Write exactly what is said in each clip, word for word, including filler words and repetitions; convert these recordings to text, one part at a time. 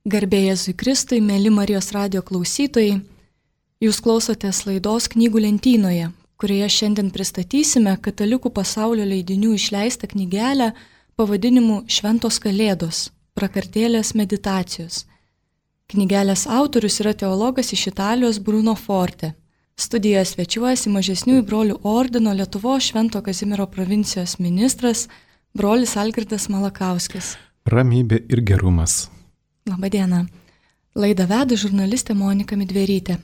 Garbė Jėzui Kristui, mėly Marijos radijo klausytojai, jūs klausotės laidos Knygų lentynoje, kurioje šiandien pristatysime Katalikų pasaulio leidinių išleistą knygelę pavadinimu Šventos Kalėdos – prakartėlės meditacijos. Knygelės autorius yra teologas iš Italijos Bruno Forte. Studijoje svečiuojasi Mažesniųjų brolių ordino Lietuvos Švento Kazimiero provincijos ministras brolis Algirdas Malakauskis. Ramybė ir gerumas. Labadiena. Laidą veda žurnalistė Monika Midverytė.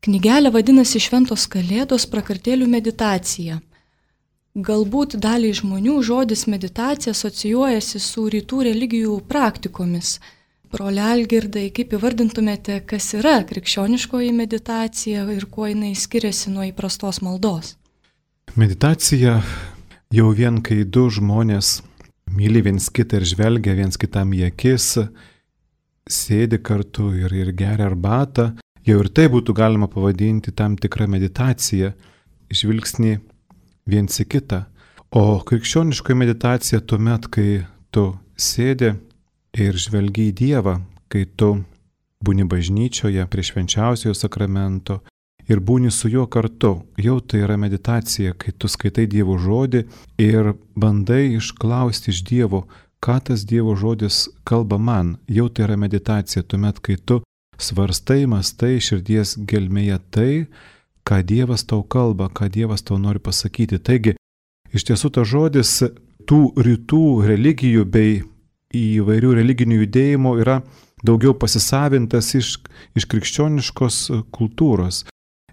Knygelė vadinasi Šventos Kalėdos – prakartėlių meditacija. Galbūt daliai žmonių žodis meditacija asocijuojasi su rytų religijų praktikomis. Broli Algirdai, kaip įvardintumėte, kas yra krikščioniškoji meditacija ir kuo jinai skiriasi nuo įprastos maldos? Meditacija jau vien kai du žmonės myli viens kitą ir žvelgia viens kitam į akis, sėdi kartu ir, ir geria arbatą, jau ir tai būtų galima pavadinti tam tikrą meditaciją, žvilgsnį viens į kitą. O krikščioniškoji meditacija tuomet, kai tu sėdi ir žvelgi į Dievą, kai tu būni bažnyčioje prie švenčiausiojo sakramento ir būni su juo kartu, jau tai yra meditacija, kai tu skaitai Dievo žodį ir bandai išklausti iš Dievo, ką tas Dievo žodis kalba man, jau tai yra meditacija, tuomet, kai tu svarstai, mastai širdies gelmėje tai, ką Dievas tau kalba, ką Dievas tau nori pasakyti. Taigi, iš tiesų tas žodis tų rytų religijų bei įvairių religinių judėjimų yra daugiau pasisavintas iš, iš krikščioniškos kultūros,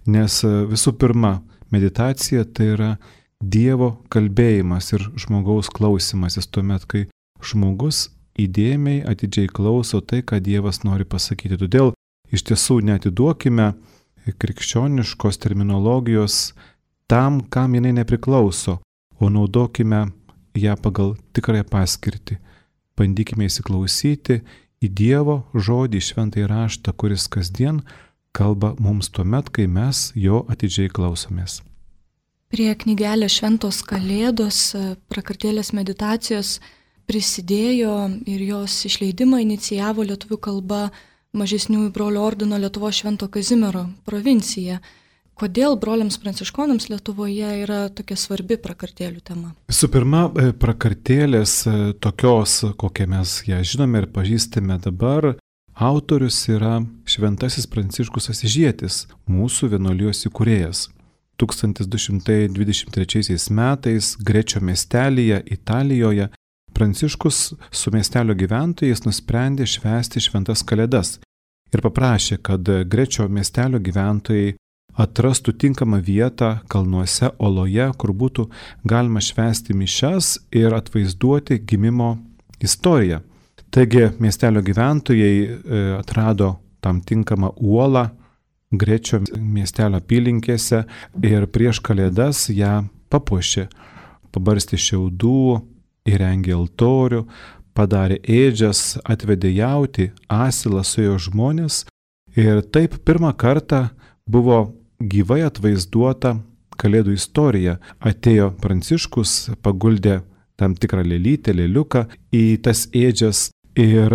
nes visų pirma, meditacija tai yra Dievo kalbėjimas ir žmogaus klausimasis tuomet, kai žmogus įdėmiai atidžiai klauso tai, ką Dievas nori pasakyti. Todėl iš tiesų neatiduokime krikščioniškos terminologijos tam, kam jinai nepriklauso, o naudokime ją pagal tikrąją paskirtį. Bandykime įsiklausyti į Dievo žodį, šventąjį raštą, kuris kasdien kalba mums tuomet, kai mes jo atidžiai klausomės. Prie knygelės Šventos Kalėdos prakartėlės meditacijos prisidėjo ir jos išleidimą inicijavo lietuvių kalba Mažesniųjų brolių ordino Lietuvos Švento Kazimiero provincija. Kodėl broliams pranciškonams Lietuvoje yra tokia svarbi prakartėlių tema? Visų pirma, prakartėlės tokios, kokią mes ją žinome ir pažįstame dabar, autorius yra Šventasis Pranciškus Asyžietis, mūsų vienuolijos įkūrėjas. tūkstantis du šimtai dvidešimt trečiaisiais metais Grečio miestelyje, Italijoje, Pranciškus su miestelio gyventojais nusprendė švęsti šventas kalėdas ir paprašė, kad Grečio miestelio gyventojai atrastų tinkamą vietą kalnuose oloje, kur būtų galima švęsti mišias ir atvaizduoti gimimo istoriją. Taigi miestelio gyventojai atrado tam tinkamą uolą Grečio miestelio apylinkėse ir prieš kalėdas ją papuošė, pabarstė šiaudų, įrengė altorių, padarė ėdžias, atvedė jautį, asilą, suėjo žmonės ir taip pirmą kartą buvo gyvai atvaizduota kalėdų istorija. Atėjo Pranciškus, paguldė tam tikrą lėlytę, lėliuką į tas ėdžias ir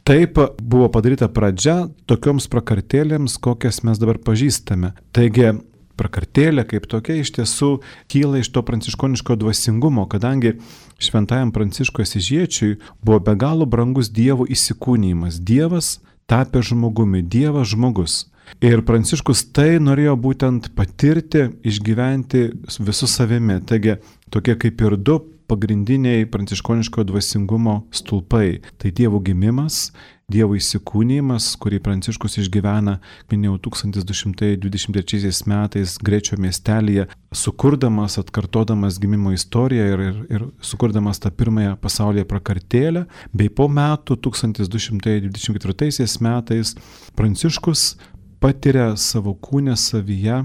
taip buvo padaryta pradžia tokioms prakartėlėms, kokias mes dabar pažįstame. Taigi, prakartėlė kaip tokia iš tiesų kyla iš to pranciškoniško dvasingumo, kadangi šventajam Pranciškui Asyžiečiui buvo be galo brangus Dievo įsikūnijimas. Dievas tapė žmogumi, Dievas žmogus. Ir Pranciškus tai norėjo būtent patirti, išgyventi visu savimi. Taigi tokie kaip ir du pagrindiniai pranciškoniško dvasingumo stulpai. Tai Dievo gimimas, Dievo įsikūnijimas, kurį Pranciškus išgyvena, minėjau, tūkstantis du šimtai dvidešimt trečiaisiais metais Grečio miestelyje, sukurdamas, atkartodamas gimimo istoriją ir, ir, ir sukurdamas tą pirmąją pasaulyje prakartėlę, bei po metų, tūkstantis du šimtai dvidešimt ketvirtaisiais metais, Pranciškus patiria savo kūne savyje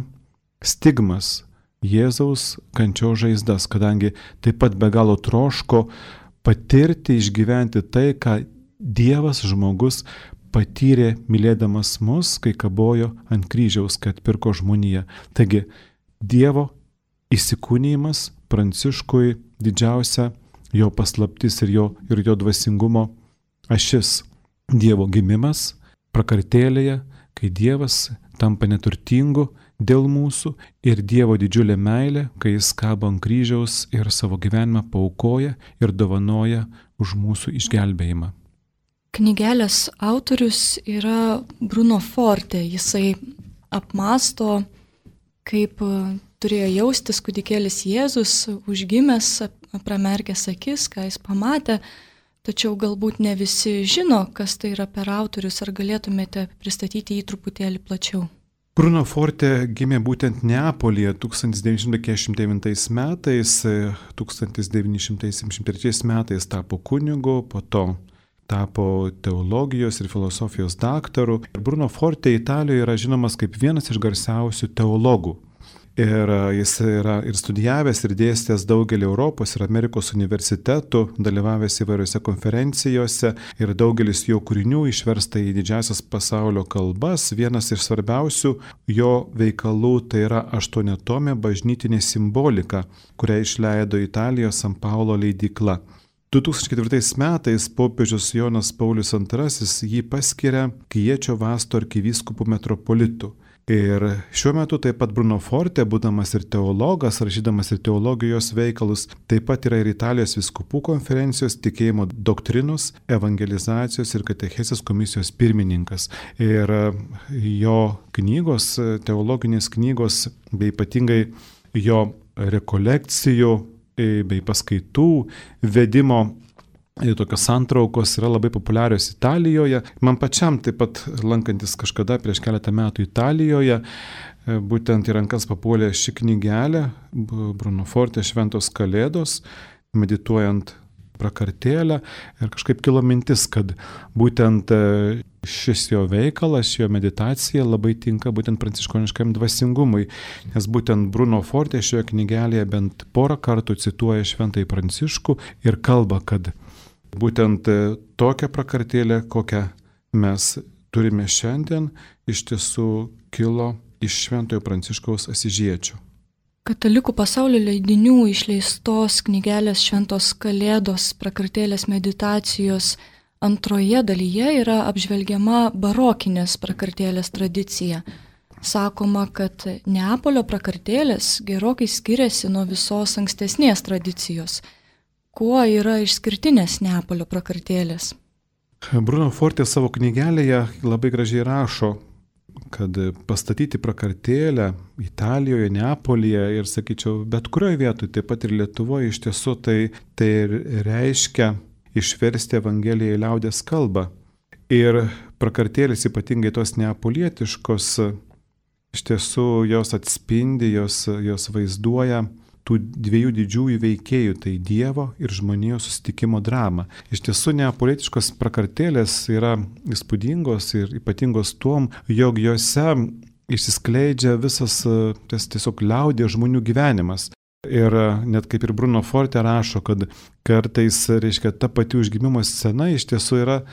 stigmas, Jėzaus kančios žaizdas, kadangi taip pat be galo troško patirti, išgyventi tai, ką Dievas žmogus patyrė mylėdamas mus, kai kabojo ant kryžiaus, kad atpirko žmoniją. Taigi, Dievo įsikūnijimas Pranciškui didžiausia jo paslaptis ir jo, ir jo dvasingumo ašis. Dievo gimimas prakartėlėje, kai Dievas tampa neturtingu dėl mūsų ir Dievo didžiulė meilė, kai jis kabo ant kryžiaus ir savo gyvenimą paaukoja ir dovanoja už mūsų išgelbėjimą. Knygelės autorius yra Bruno Forte. Jisai apmąsto, kaip turėjo jaustis kūdikėlis Jėzus, užgimęs, pramerkęs akis, ką jis pamatė. Tačiau galbūt ne visi žino, kas tai yra per autorius, ar galėtumėte pristatyti jį truputėlį plačiau. Bruno Forte gimė būtent Neapolyje tūkstantis devyni šimtai keturiasdešimt devintais metais, tūkstantis devyni šimtai septyniasdešimt trečiais metais tapo kunigu, po to tapo teologijos ir filosofijos daktaru. Ir Bruno Forte Italijoje yra žinomas kaip vienas iš garsiausių teologų. Ir jis yra ir studijavęs, ir dėstęs daugelį Europos ir Amerikos universitetų, dalyvavęs įvairiose konferencijose ir daugelis jo kūrinių išversta į didžiasias pasaulio kalbas. Vienas iš svarbiausių jo veikalų tai yra aštuoniatomė bažnytinė simbolika, kurią išleido Italijos San Paulo leidykla. du tūkstančiai ketvirtais metais popiežius Jonas Paulius antrasis jį paskiria Kiečio Vasto arkivyskupu metropolitu. Ir šiuo metu taip pat Bruno Forte, būdamas ir teologas, rašydamas ir teologijos veikalus, taip pat yra ir Italijos vyskupų konferencijos tikėjimo doktrinos, evangelizacijos ir katechezės komisijos pirmininkas. Ir jo knygos, teologinės knygos, bei ypatingai jo rekolekcijų bei paskaitų vedimo tokios santraukos yra labai populiarios Italijoje. Man pačiam taip pat lankantis kažkada prieš keletą metų Italijoje, būtent į rankas papuolė ši knygelė Bruno Forte Šventos kalėdos, medituojant prakartėlę, ir kažkaip kilo mintis, kad būtent šis jo veikalas, jo meditacija labai tinka būtent pranciškoniškam dvasingumui, nes būtent Bruno Forte šioje knygelėje bent porą kartų cituoja Šventąjį Pranciškų ir kalba, kad būtent tokia prakartėlė, kokią mes turime šiandien, iš tiesų kilo iš Šventojo Pranciškaus Asyžiečio. Katalikų pasaulio leidinių išleistos knygelės Šventos kalėdos prakartėlės meditacijos antroje dalyje yra apžvelgiama barokinės prakartėlės tradicija. Sakoma, kad Neapolio prakartėlės gerokai skiriasi nuo visos ankstesnės tradicijos. Kuo yra išskirtinės Neapolio prakartėlės? Bruno Forte savo knygelėje labai gražiai rašo, kad pastatyti prakartėlę Italijoje, Neapolyje ir, sakyčiau, bet kurioje vietoje, taip pat ir Lietuvoje, iš tiesų tai, tai reiškia išversti Evangeliją į liaudies kalbą. Ir prakartėlės, ypatingai tos neapolietiškos, iš tiesų jos atspindi, jos, jos vaizduoja tų dviejų didžiųjų veikėjų, tai Dievo ir žmonijos susitikimo dramą. Iš tiesų neapolietiškos prakartėlės yra įspūdingos ir ypatingos tuom, jog jose išsiskleidžia visas tas tiesiog liaudies žmonių gyvenimas. Ir net kaip ir Bruno Forte rašo, kad kartais, reiškia, ta pati užgimimo scena iš tiesų yra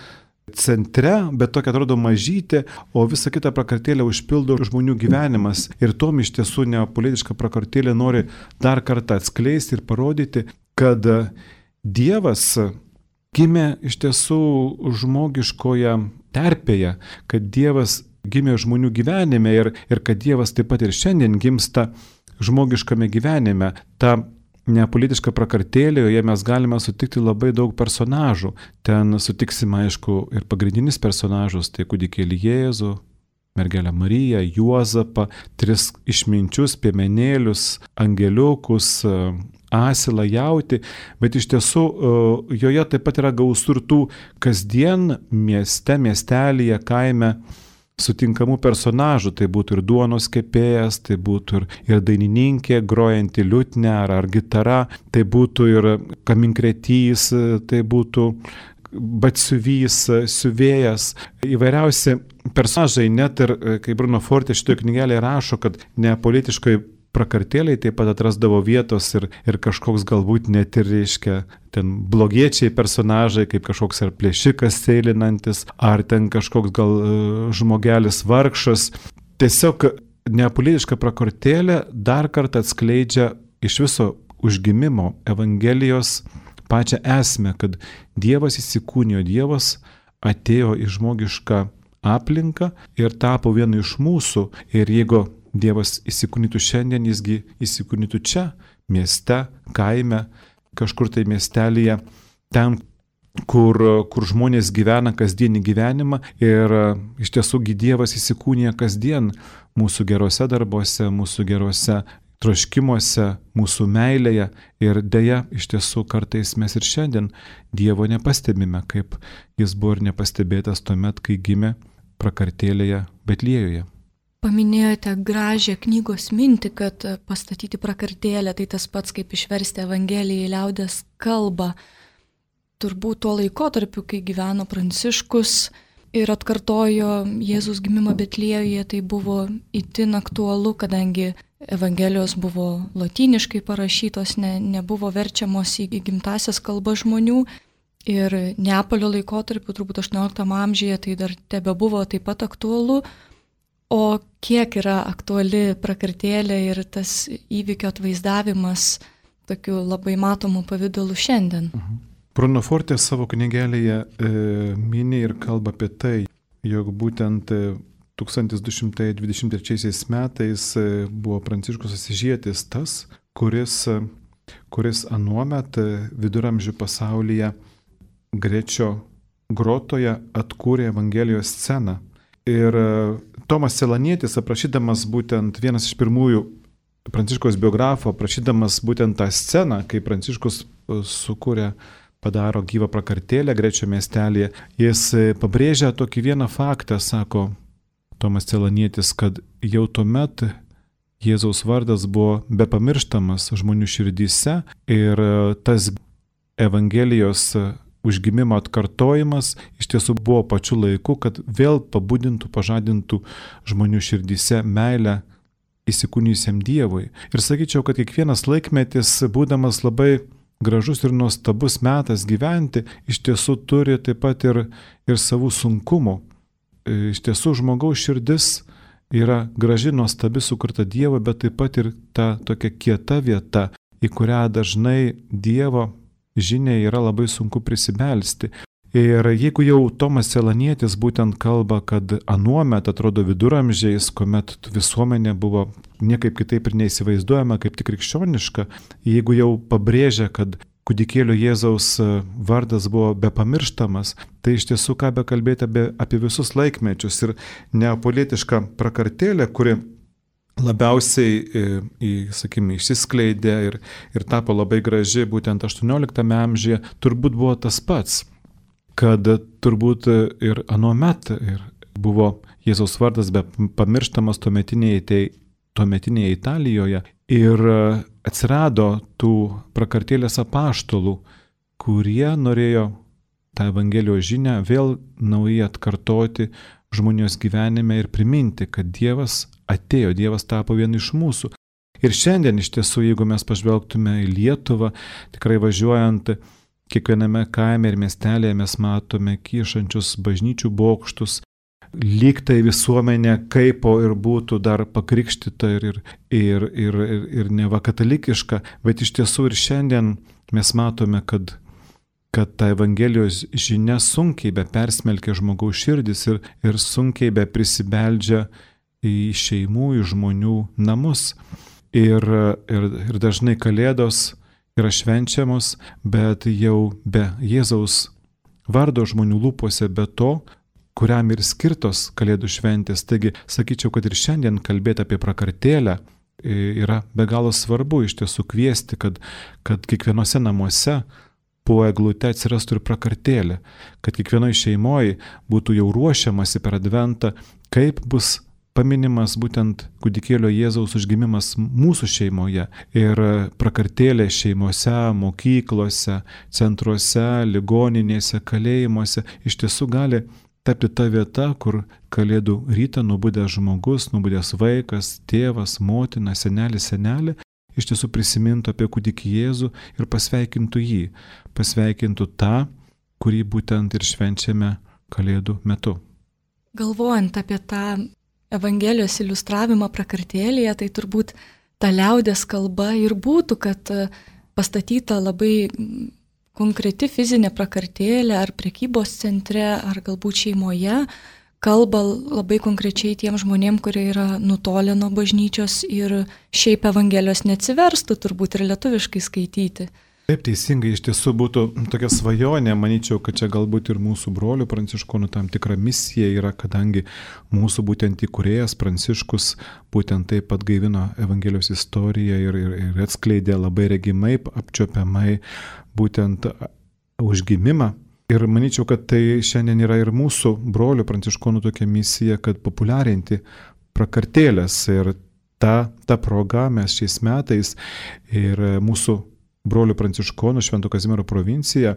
centre, bet tokia atrodo mažytė, o visą kitą prakartėlę užpildo žmonių gyvenimas. Ir tom iš tiesų neapolietiška prakartėlė nori dar kartą atskleisti ir parodyti, kad Dievas gimė iš tiesų žmogiškoje terpėje, kad Dievas gimė žmonių gyvenime ir, ir kad Dievas taip pat ir šiandien gimsta žmogiškame gyvenime. Ta neapolietiška prakartėlė, joje mes galime sutikti labai daug personažų. Ten sutiksime, aišku, ir pagrindinis personažus, tai kūdikėlį Jėzų, mergelę Mariją, Juozapą, tris išminčius, piemenėlius, angeliukus, asilą, jautį, bet iš tiesų joje taip pat yra gausu ir tų kasdien mieste, miestelyje, kaime sutinkamų personažų, tai būtų ir duonos kepėjas, tai būtų ir, ir dainininkė, grojanti liutnia ar, ar gitara, tai būtų ir kaminkretys, tai būtų batsiuvys, siuvėjas, įvairiausi personažai, net ir, kaip Bruno Forte šitoje knygelėje rašo, kad neapolietiškai prakartėliai taip pat atrasdavo vietos ir, ir kažkoks galbūt net ir, reiškia, ten blogiečiai personažai, kaip kažkoks ar plėšikas sėlinantis, ar ten kažkoks gal žmogelis vargšas. Tiesiog neapolietiška prakartėlė dar kartą atskleidžia iš viso užgimimo Evangelijos pačią esmę, kad Dievas įsikūnijo, Dievas atėjo į žmogišką aplinką ir tapo vienu iš mūsų. Ir jeigu Dievas įsikūnytų šiandien, jisgi įsikūnytų čia, mieste, kaime, kažkur tai miestelėje, ten, kur, kur žmonės gyvena kasdienį gyvenimą ir iš tiesųgi Dievas įsikūnija kasdien mūsų gerose darbuose, mūsų gerose troškimuose, mūsų meilėje ir deja, iš tiesų kartais mes ir šiandien Dievo nepastebime, kaip jis buvo ir nepastebėtas tuomet, kai gimė prakartėlėje Betliejoje. Paminėjote gražią knygos mintį, kad pastatyti prakartėlę tai tas pats kaip išversti Evangeliją į liaudies kalbą. Turbūt tuo laikotarpiu, kai gyveno Pranciškus ir atkartojo Jėzus gimimą Betliejoje, tai buvo itin aktualu, kadangi Evangelijos buvo lotyniškai parašytos, ne, nebuvo verčiamos į gimtasias kalbas žmonių. Ir Neapolio laikotarpiu, turbūt aštuonioliktam amžiuje, tai dar tebe buvo taip pat aktualu. O kiek yra aktuali prakartėlė ir tas įvykio atvaizdavimas tokiu labai matomu pavidalu šiandien? Mhm. Bruno Forte savo knygelėje e, mini ir kalba apie tai, jog būtent tūkstantis du šimtai dvidešimt trečiaisiais metais e, buvo Pranciškus Asyžietis tas, kuris, kuris anuomet viduramžių pasaulyje Grečio grotoje atkūrė Evangelijos sceną. Ir Tomas Celanietis, aprašydamas būtent vienas iš pirmųjų Pranciškaus biografų, aprašydamas būtent tą sceną, kai Pranciškus sukūrė, padaro gyvą prakartėlę Grečio miestelėje, jis pabrėžia tokį vieną faktą, sako Tomas Celanietis, kad jau tuomet Jėzaus vardas buvo bepamirštamas žmonių širdyse ir tas Evangelijos užgimimo atkartojimas iš tiesų buvo pačiu laiku, kad vėl pabudintų, pažadintų žmonių širdyse meilę įsikūnijusiam Dievui. Ir sakyčiau, kad kiekvienas laikmetis, būdamas labai gražus ir nuostabus metas gyventi, iš tiesų turi taip pat ir, ir savų sunkumų. Iš tiesų žmogaus širdis yra graži, nuostabi, sukurta Dievo, bet taip pat ir ta tokia kieta vieta, į kurią dažnai Dievo žiniai yra labai sunku prisibelsti. Ir jeigu jau Tomas Celanietis būtent kalba, kad anuomet atrodo viduramžiais, kuomet visuomenė buvo niekaip kitaip ir neįsivaizduojama kaip tik krikščioniška, jeigu jau pabrėžia, kad kūdikėlio Jėzaus vardas buvo bepamirštamas, tai iš tiesų ką be kalbėti apie, apie visus laikmečius ir neapolietišką prakartėlę, kuri labiausiai, į, sakykime, išsiskleidė ir, ir tapo labai graži būtent aštuonioliktame amžiuje, turbūt buvo tas pats, kad turbūt ir anuomet ir buvo Jėzaus vardas be pamirštamas tuometinėje, tuometinėje Italijoje ir atsirado tų prakartėlės apaštalų, kurie norėjo tą Evangelijos žinią vėl naujai atkartoti žmonijos gyvenime ir priminti, kad Dievas atėjo, Dievas tapo vienu iš mūsų. Ir šiandien iš tiesų, jeigu mes pažvelgtume į Lietuvą, tikrai važiuojant kiekviename kaime ir miestelėje mes matome kyšančius bažnyčių bokštus, lyg tai visuomenė kaipo ir būtų dar pakrikštyta ir, ir, ir, ir, ir, ir neva katalikiška, bet iš tiesų ir šiandien mes matome, kad kad ta Evangelijos žinia sunkiai be persmelkia žmogaus širdis ir, ir sunkiai be prisibeldžia į šeimų, į žmonių namus. Ir, ir, ir dažnai kalėdos yra švenčiamos, bet jau be Jėzaus vardo žmonių lūpose, be to, kuriam ir skirtos kalėdų šventės. Taigi, sakyčiau, kad ir šiandien kalbėti apie prakartėlę yra be galo svarbu iš tiesų kviesti, kad, kad kiekvienose namuose po eglute atsirastų ir prakartėlė, kad kiekvienoje šeimoje būtų jau ruošiamasi per adventą, kaip bus paminimas būtent kūdikėlio Jėzaus užgimimas mūsų šeimoje. Ir prakartėlė šeimose, mokyklose, centruose, ligoninėse, kalėjimuose iš tiesų gali tapti ta vieta, kur kalėdų rytą nubudęs žmogus, nubudęs vaikas, tėvas, motina, senelis, senelė, iš tiesų prisimintų apie kūdikį Jėzų ir pasveikintų jį, pasveikintų tą, kurį būtent ir švenčiame kalėdų metu. Galvojant apie tą Evangelijos iliustravimą prakartėlėje, tai turbūt ta liaudės kalba ir būtų, kad pastatyta labai konkreti fizinė prakartėlė ar prekybos centre, ar galbūt šeimoje kalba labai konkrečiai tiem žmonėm, kurie yra nutolę nuo bažnyčios ir šiaip Evangelijos neatsiverstų turbūt ir lietuviškai skaityti. Taip, teisingai, iš tiesų būtų tokia svajonė, manyčiau, kad čia galbūt ir mūsų brolių pranciškonų tam tikra misija yra, kadangi mūsų būtent įkūrėjas Pranciškus būtent taip pat gaivino Evangelijos istoriją ir, ir, ir atskleidė labai regimai, apčiopiamai būtent užgimimą. Ir manyčiau, kad tai šiandien yra ir mūsų brolių pranciškonų tokia misija, kad populiarinti prakartėlės. Ir ta, ta proga mes šiais metais ir mūsų brolių pranciškonų Švento Kazimiero provincija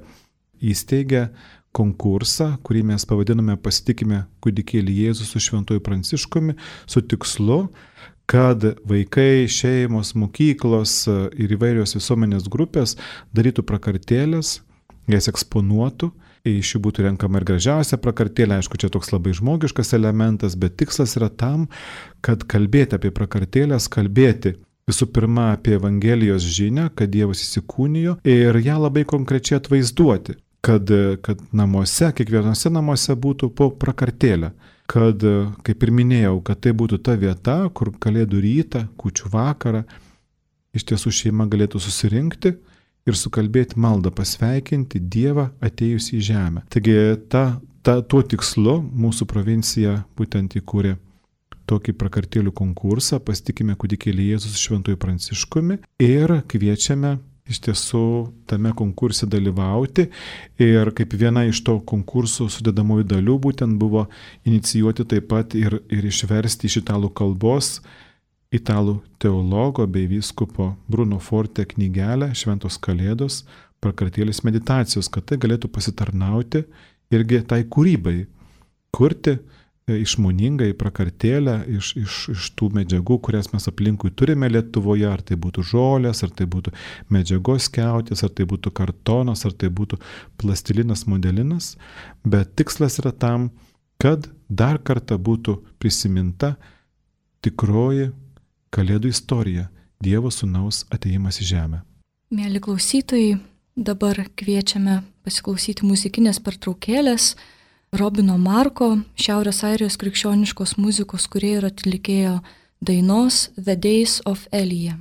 įsteigė konkursą, kurį mes pavadiname Pasitikime kūdikėlį Jėzų su Šventuoju Pranciškumi, su tikslu, kad vaikai, šeimos, mokyklos ir įvairios visuomenės grupės darytų prakartėlės, jas eksponuotų, iš jų būtų renkama ir gražiausia prakartėlė, aišku, čia toks labai žmogiškas elementas, bet tikslas yra tam, kad kalbėti apie prakartėlės, kalbėti visų pirma apie Evangelijos žinią, kad Dievas įsikūnijo ir ją labai konkrečiai atvaizduoti, kad, kad namuose, kiekvienose namuose būtų po prakartėlę, kad, kaip ir minėjau, kad tai būtų ta vieta, kur kalėdų rytą, kūčių vakarą, iš tiesų šeima galėtų susirinkti ir sukalbėti maldą, pasveikinti Dievą atėjus į žemę. Taigi ta, ta, tuo tikslu mūsų provincija būtent įkūrė tokį prakartėlių konkursą, Pasitikime kūdikėlį Jėzų su Šventuoju Pranciškumi ir kviečiame iš tiesų tame konkurse dalyvauti. Ir kaip viena iš to konkurso sudedamųjų dalių būtent buvo inicijuoti taip pat ir, ir išversti iš italų kalbos italų teologo bei vyskupo Bruno Forte knygelę Šventos Kalėdos prakartėlės meditacijos, kad tai galėtų pasitarnauti irgi tai kūrybai, kurti išmoningai prakartėlę iš, iš, iš tų medžiagų, kurias mes aplinkui turime Lietuvoje, ar tai būtų žolės, ar tai būtų medžiagos skiautės, ar tai būtų kartonas, ar tai būtų plastilinas, modelinas, bet tikslas yra tam, kad dar kartą būtų prisiminta tikroji Kalėdų istorija, Dievo sūnaus atėjimas į žemę. Mėly klausytojai, dabar kviečiame pasiklausyti muzikinės pertraukėlės Robino Marko, Šiaurės Airijos krikščioniškos muzikos kūrėjo ir atlikėjo dainos The Days of Elijah.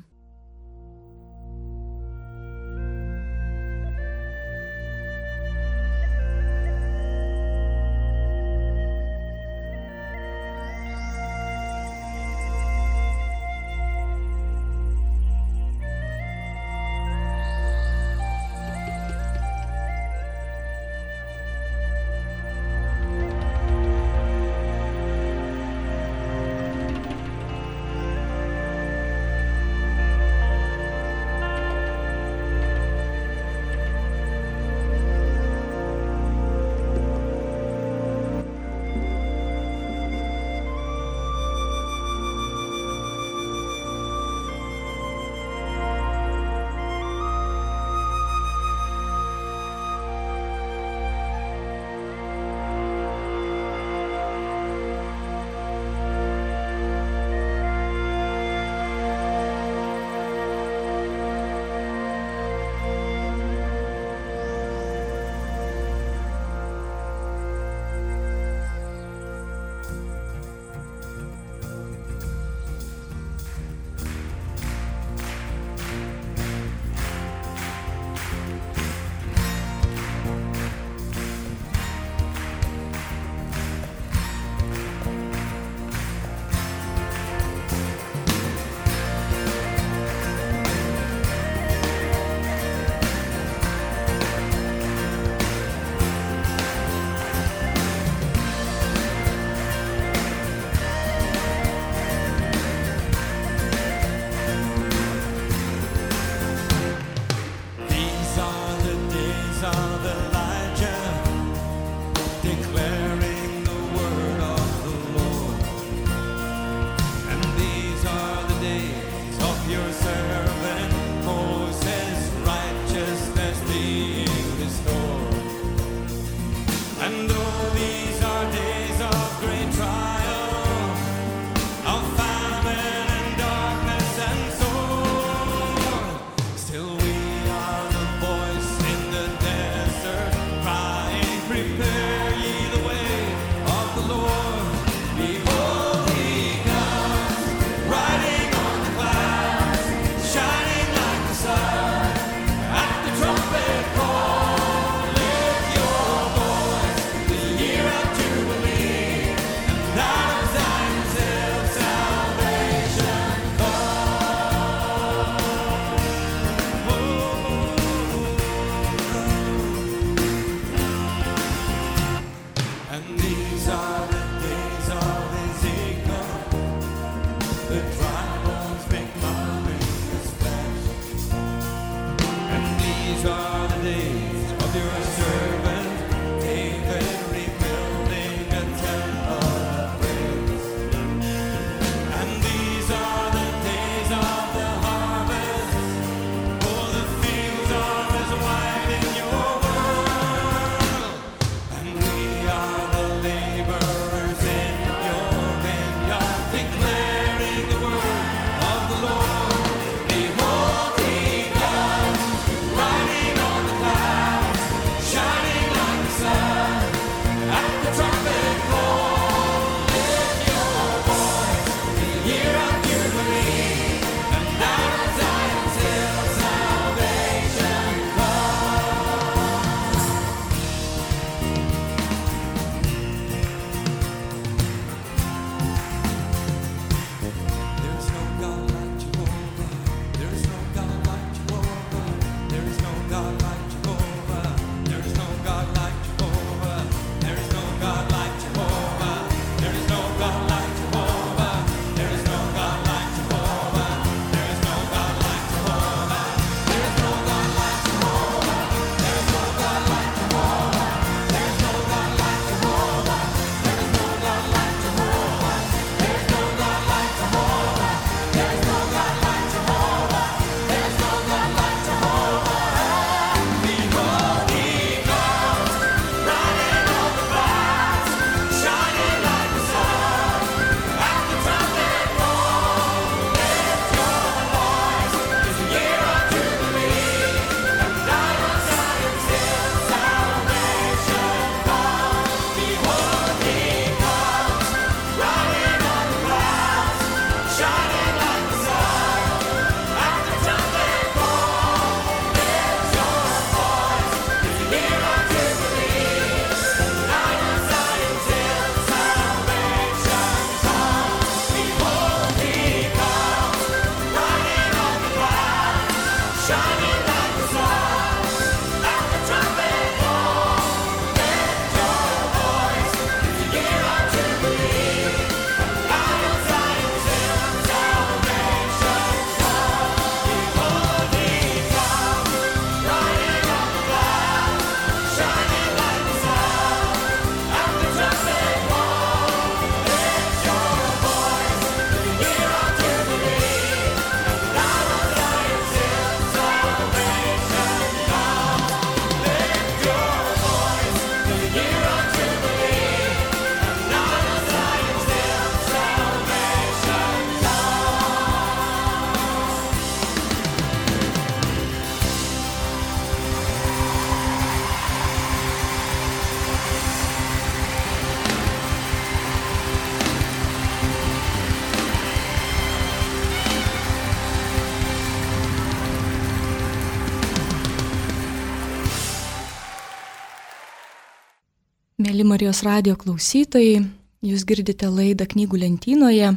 Mėly Marijos radijo klausytojai, jūs girdite laidą Knygų lentynoje.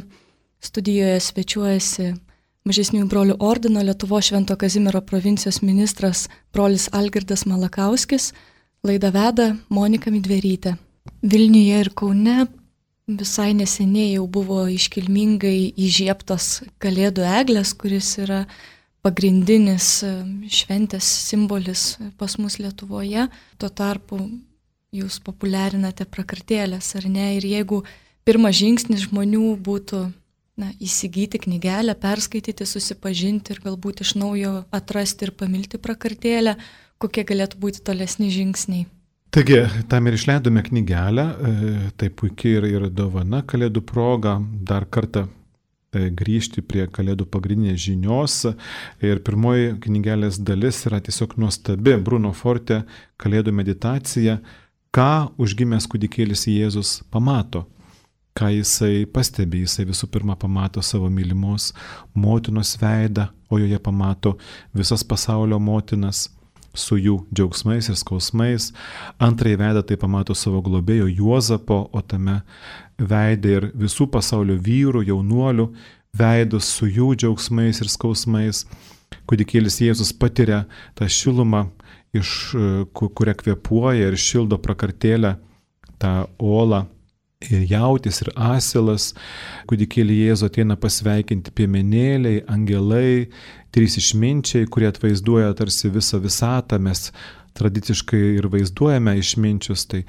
Studijoje svečiuojasi Mažesniųjų brolių ordino Lietuvos Švento Kazimiero provincijos ministras brolis Algirdas Malakauskis. Laidą veda Monika Midverytė. Vilniuje ir Kaune visai neseniai jau buvo iškilmingai įžiebtos Kalėdų eglės, kuris yra pagrindinis šventės simbolis pas mus Lietuvoje. Tuo tarpu jūs populiarinate prakartėlės, ar ne? Ir jeigu pirmas žingsnis žmonių būtų na, įsigyti knygelę, perskaityti, susipažinti ir galbūt iš naujo atrasti ir pamilti prakartėlę, kokie galėtų būti tolesni žingsniai? Taigi, tam ir išleidome knygelę, tai puikiai ir, ir dovana Kalėdų proga dar kartą grįžti prie Kalėdų pagrindinės žinios. Ir pirmoji knygelės dalis yra tiesiog nuostabi, Bruno Forte Kalėdų meditacija, ką užgimęs kūdikėlis Jėzus pamato, ką jisai pastebi. Jisai visų pirma pamato savo mylimos motinos veidą, o joje pamato visas pasaulio motinas su jų džiaugsmais ir skausmais. Antrąjį veidą tai pamato savo globėjo Juozapo, o tame veidė ir visų pasaulio vyrų, jaunuolių veidus su jų džiaugsmais ir skausmais. Kūdikėlis Jėzus patiria tą šilumą, iš kurią kvėpuoja ir šildo prakartėlę tą olą. Ir jautis, ir asilas, kūdikėlį Jėzų ateina pasveikinti piemenėliai, angelai, trys išminčiai, kurie atvaizduoja tarsi visą visatą, mes tradiciškai ir vaizduojame išminčius, tai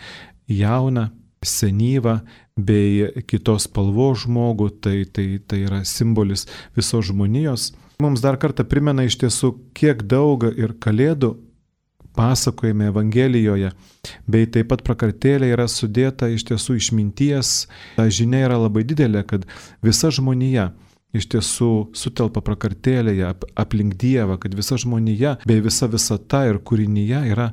jauną, senyvą bei kitos spalvos žmogų, tai, tai, tai yra simbolis visos žmonijos. Mums dar kartą primena iš tiesų, kiek daug ir kalėdų pasakojame Evangelijoje, bei taip pat prakartėlė yra sudėta iš tiesų išminties. Ta žinia yra labai didelė, kad visa žmonija iš tiesų sutelpa prakartėlėje aplink Dievą, kad visa žmonija bei visa visata ir kūrinyje yra,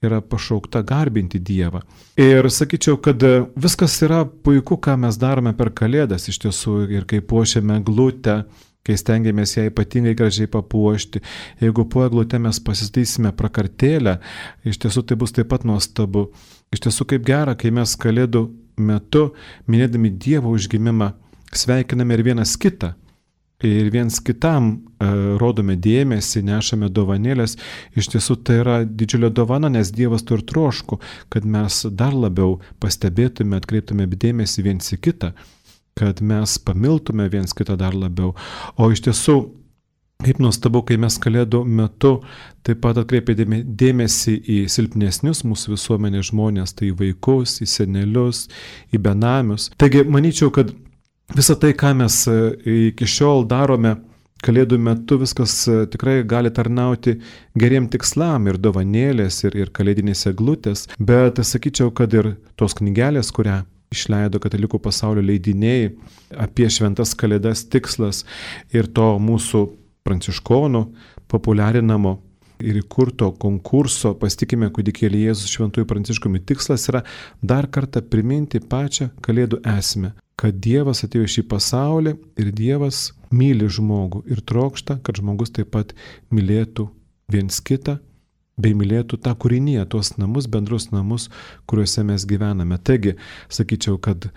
yra pašaukta garbinti Dievą. Ir sakyčiau, kad viskas yra puiku, ką mes darome per Kalėdas iš tiesų, ir kai puošiame eglutę, kai stengiamės ją ypatingai gražiai papuošti. Jeigu po eglute mes pasistatysime prakartėlę, iš tiesų tai bus taip pat nuostabu. Iš tiesų kaip gera, kai mes Kalėdų metu, minėdami Dievo užgimimą, sveikiname ir vienas kitą. Ir viens kitam e, rodome dėmesį, nešame dovanėlės. Iš tiesų tai yra didžiulė dovana, nes Dievas to ir troško, kad mes dar labiau pastebėtume, atkreiptume dėmesį viens į kitą, kad mes pamiltume viens kitą dar labiau. O iš tiesų, kaip nuostabu, kai mes Kalėdų metu taip pat atkreipiame dėmesį į silpnesnius mūsų visuomenės žmonės, tai į vaikus, į senelius, į benamius. Taigi, manyčiau, kad visą tai, ką mes iki šiol darome Kalėdų metu, viskas tikrai gali tarnauti geriem tikslam, ir dovanėlės, ir, ir kalėdinės eglutės, bet sakyčiau, kad ir tos knygelės, kurią išleido Katalikų pasaulio leidiniai apie šventas Kalėdas tikslas ir to mūsų pranciškonų populiarinamo ir įkurto konkurso Pasitikime kūdikėlį Jėzų Šventuoju Pranciškumi tikslas yra dar kartą priminti pačią Kalėdų esmę, kad Dievas atėjo į šį pasaulį ir Dievas myli žmogų ir trokšta, kad žmogus taip pat mylėtų viens kitą, bei mylėtų tą kūrinyje, tuos namus, bendrus namus, kuriuose mes gyvename. Taigi, sakyčiau, kad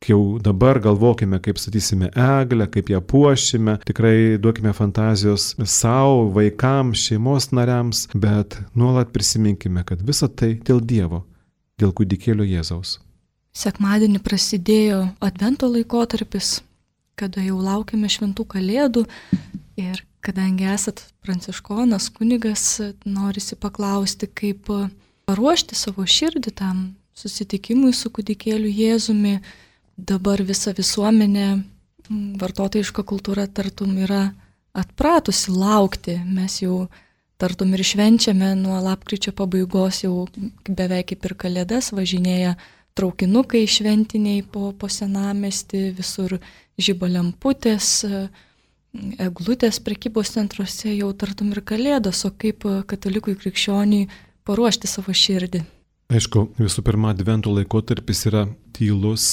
jau dabar galvokime, kaip statysime eglę, kaip ją puošime, tikrai duokime fantazijos savo, vaikams, šeimos nariams, bet nuolat prisiminkime, kad visa tai dėl Dievo, dėl kūdikėlio Jėzaus. Sekmadienį prasidėjo Advento laikotarpis, kada jau laukiame šventų Kalėdų, ir kadangi esat pranciškonas, kunigas, norisi paklausti, kaip paruošti savo širdį tam susitikimui su kūdikėliu Jėzumi. Dabar visa visuomenė, vartotojiška kultūra tartum yra atpratusi laukti. Mes jau tartum ir švenčiame nuo lapkričio pabaigos, jau beveik kaip ir Kalėdas, važinėja traukinukai šventiniai po, po senamiestį, visur žiba lemputės, eglutės prekybos centruose, jau tartum ir Kalėdos, o kaip katalikui krikščioniui paruošti savo širdį. Aišku, visų pirma, Advento laikotarpis yra tylus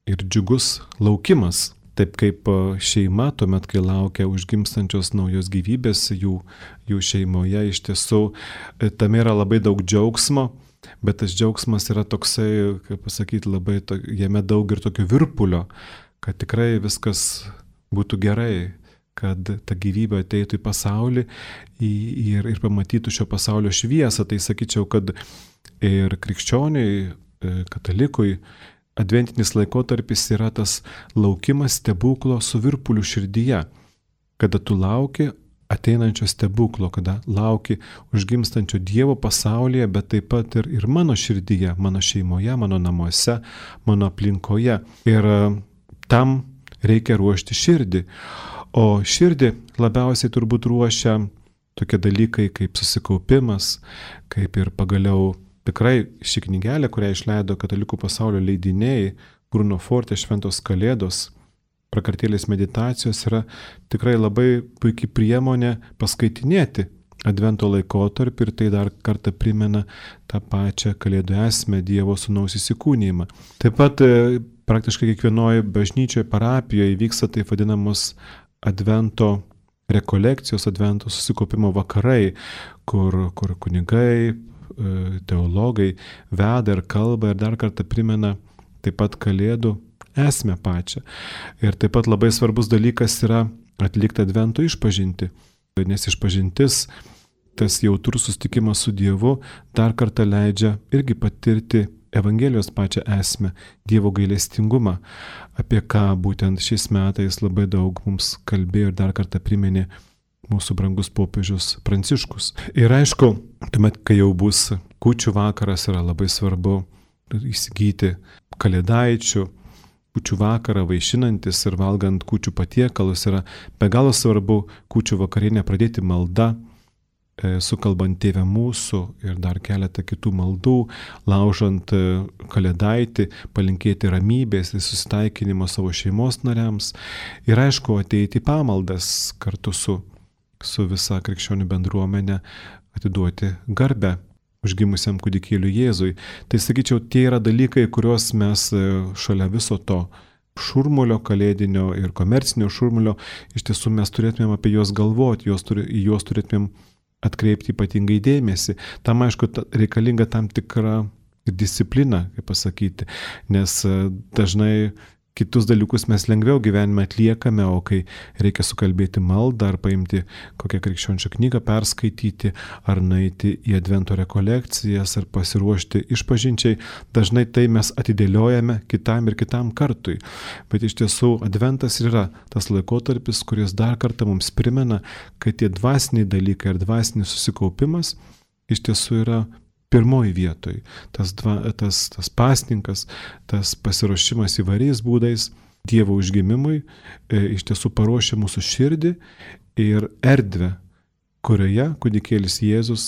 ir džiugus laukimas, taip kaip šeima, tuomet, kai laukia užgimstančios naujos gyvybės jų, jų šeimoje, iš tiesų tame yra labai daug džiaugsmo, bet tas džiaugsmas yra toksai, kaip pasakyti, labai, to, jame daug ir tokio virpulio, kad tikrai viskas būtų gerai, kad ta gyvybė ateitų į pasaulį ir, ir pamatytų šio pasaulio šviesą. Tai sakyčiau, kad ir krikščioniui, katalikui, adventinis laikotarpis yra tas laukimas stebuklo su virpuliu širdyje, kada tu lauki ateinančio stebuklo, kada lauki užgimstančio Dievo pasaulyje, bet taip pat ir, ir mano širdyje, mano šeimoje, mano namuose, mano aplinkoje. Ir tam reikia ruošti širdį. O širdį labiausiai turbūt ruošia tokie dalykai kaip susikaupimas, kaip ir pagaliau tikrai ši knygelė, kurią išleido Katalikų pasaulio leidiniai, Bruno Forte Šventos Kalėdos, prakartėlės meditacijos, yra tikrai labai puikiai priemonė paskaitinėti Advento laikotarpį, ir tai dar kartą primena tą pačią Kalėdų esmę, Dievo sūnaus įsikūnijimą. Taip pat praktiškai kiekvienoje bažnyčioje, parapijoje vyksta taip vadinamos Advento rekolekcijos, Advento susikaupimo vakarai, kur, kur kunigai, teologai veda ir kalba ir dar kartą primena taip pat Kalėdų esmę pačią. Ir taip pat labai svarbus dalykas yra atlikti Advento išpažintį, nes išpažintis, tas jautrus susitikimas su Dievu dar kartą leidžia irgi patirti Evangelijos pačią esmę, Dievo gailestingumą, apie ką būtent šiais metais labai daug mums kalbėjo ir dar kartą priminė mūsų brangus popiežius Pranciškus. Ir aišku, tuomet, kai jau bus kūčių vakaras, yra labai svarbu įsigyti kalėdaičių. Kūčių vakarą vaišinantis ir valgant kūčių patiekalus yra be galo svarbu kūčių vakarienę pradėti malda, sukalbant Tėvę mūsų ir dar keletą kitų maldų, laužant kalėdaitį, palinkėti ramybės ir susitaikinimo savo šeimos nariams ir aišku ateiti į pamaldas kartu su, su visa krikščionių bendruomenė, atiduoti garbę užgimusiam kūdikėliui Jėzui. Tai sakyčiau, tie yra dalykai, kuriuos mes šalia viso to šurmulio kalėdinio ir komercinio šurmulio, iš tiesų mes turėtumėm apie juos galvoti, juos turi, į juos turėtumėm atkreipti ypatingai dėmesį. Tam, aišku, reikalinga tam tikra disciplina, kaip pasakyti, nes dažnai kitus dalykus mes lengviau gyvenime atliekame, o kai reikia sukalbėti maldą ar paimti kokią krikščionišką knygą perskaityti, ar nueiti į advento rekolekcijas, ar pasiruošti išpažinčiai, dažnai tai mes atidėliojame kitam ir kitam kartui. Bet iš tiesų adventas yra tas laikotarpis, kuris dar kartą mums primena, kad tie dvasiniai dalykai ir dvasinis susikaupimas iš tiesų yra pirmoji vietoj. Tas, dva, tas, tas pasninkas, tas pasiruošimas įvairiais būdais Dievo užgimimui e, iš tiesų paruošia mūsų širdį ir erdvę, kurioje kūdikėlis Jėzus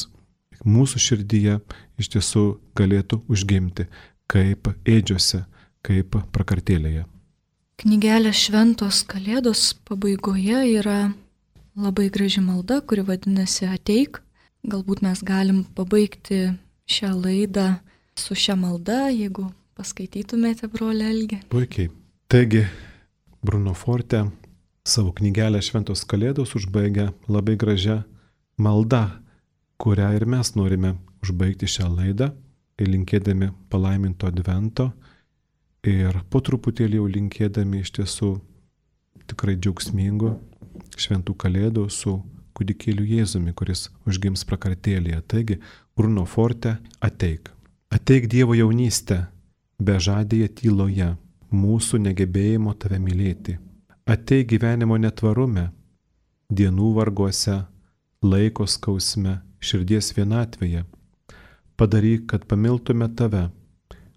mūsų širdyje iš tiesų galėtų užgimti kaip ėdžiose, kaip prakartėlėje. Knygelė Šventos Kalėdos pabaigoje yra labai graži malda, kuri vadinasi Ateik. Galbūt mes galim pabaigti šią laidą su šia malda, jeigu paskaitytumėte, brolį Algį. Puikiai. Taigi, Bruno Forte savo knygelę Šventos Kalėdos užbaigia labai gražia malda, kurią ir mes norime užbaigti šią laidą, linkėdami palaiminto advento ir po truputėlį jau linkėdami iš tiesų tikrai džiaugsmingų šventų kalėdų su kūdikėliu Jėzumi, kuris užgims prakartėlėje. Taigi, Bruno Forte, ateik. Ateik Dievo jaunystę, bežadėje tyloje, mūsų negebėjimo tave mylėti. Ateik gyvenimo netvarume, dienų varguose, laiko skausme, širdies vienatvėje. Padaryk, kad pamiltume tave,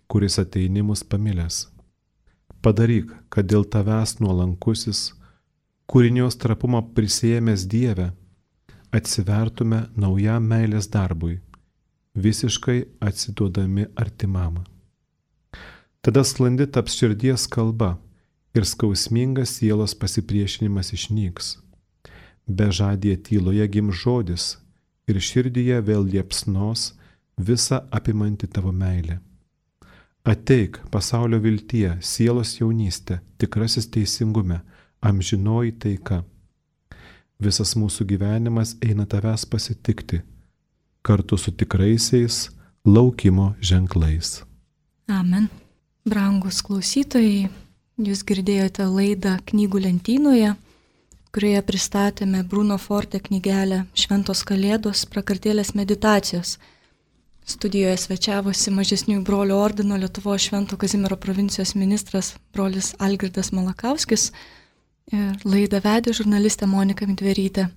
kuris ateini mus pamilęs. Padaryk, kad dėl tavęs nuolankusis, kūrinios trapumą prisėmęs Dieve, atsivertume naujam meilės darbui, visiškai atsiduodami artimam. Tada sklandi taps širdies kalba ir skausmingas sielos pasipriešinimas išnyks. Bežadėje tyloje gims žodis ir širdyje vėl liepsnos visa apimanti tavo meilė. Ateik, pasaulio viltie, sielos jaunystė, tikrasis teisingume, amžinoji taika. Visas mūsų gyvenimas eina tavęs pasitikti, kartu su tikraisiais laukimo ženklais. Amen. Brangus klausytojai, jūs girdėjote laidą Knygų lentynoje, kurioje pristatėme Bruno Forte knygelę Šventos Kalėdos prakartėlės meditacijos. Studijoje svečiavosi mažesniųjų brolių ordino Lietuvos Švento Kazimiero provincijos ministras brolis Algirdas Malakauskis. Ir laidą vedė žurnalistė Monika Midverytė.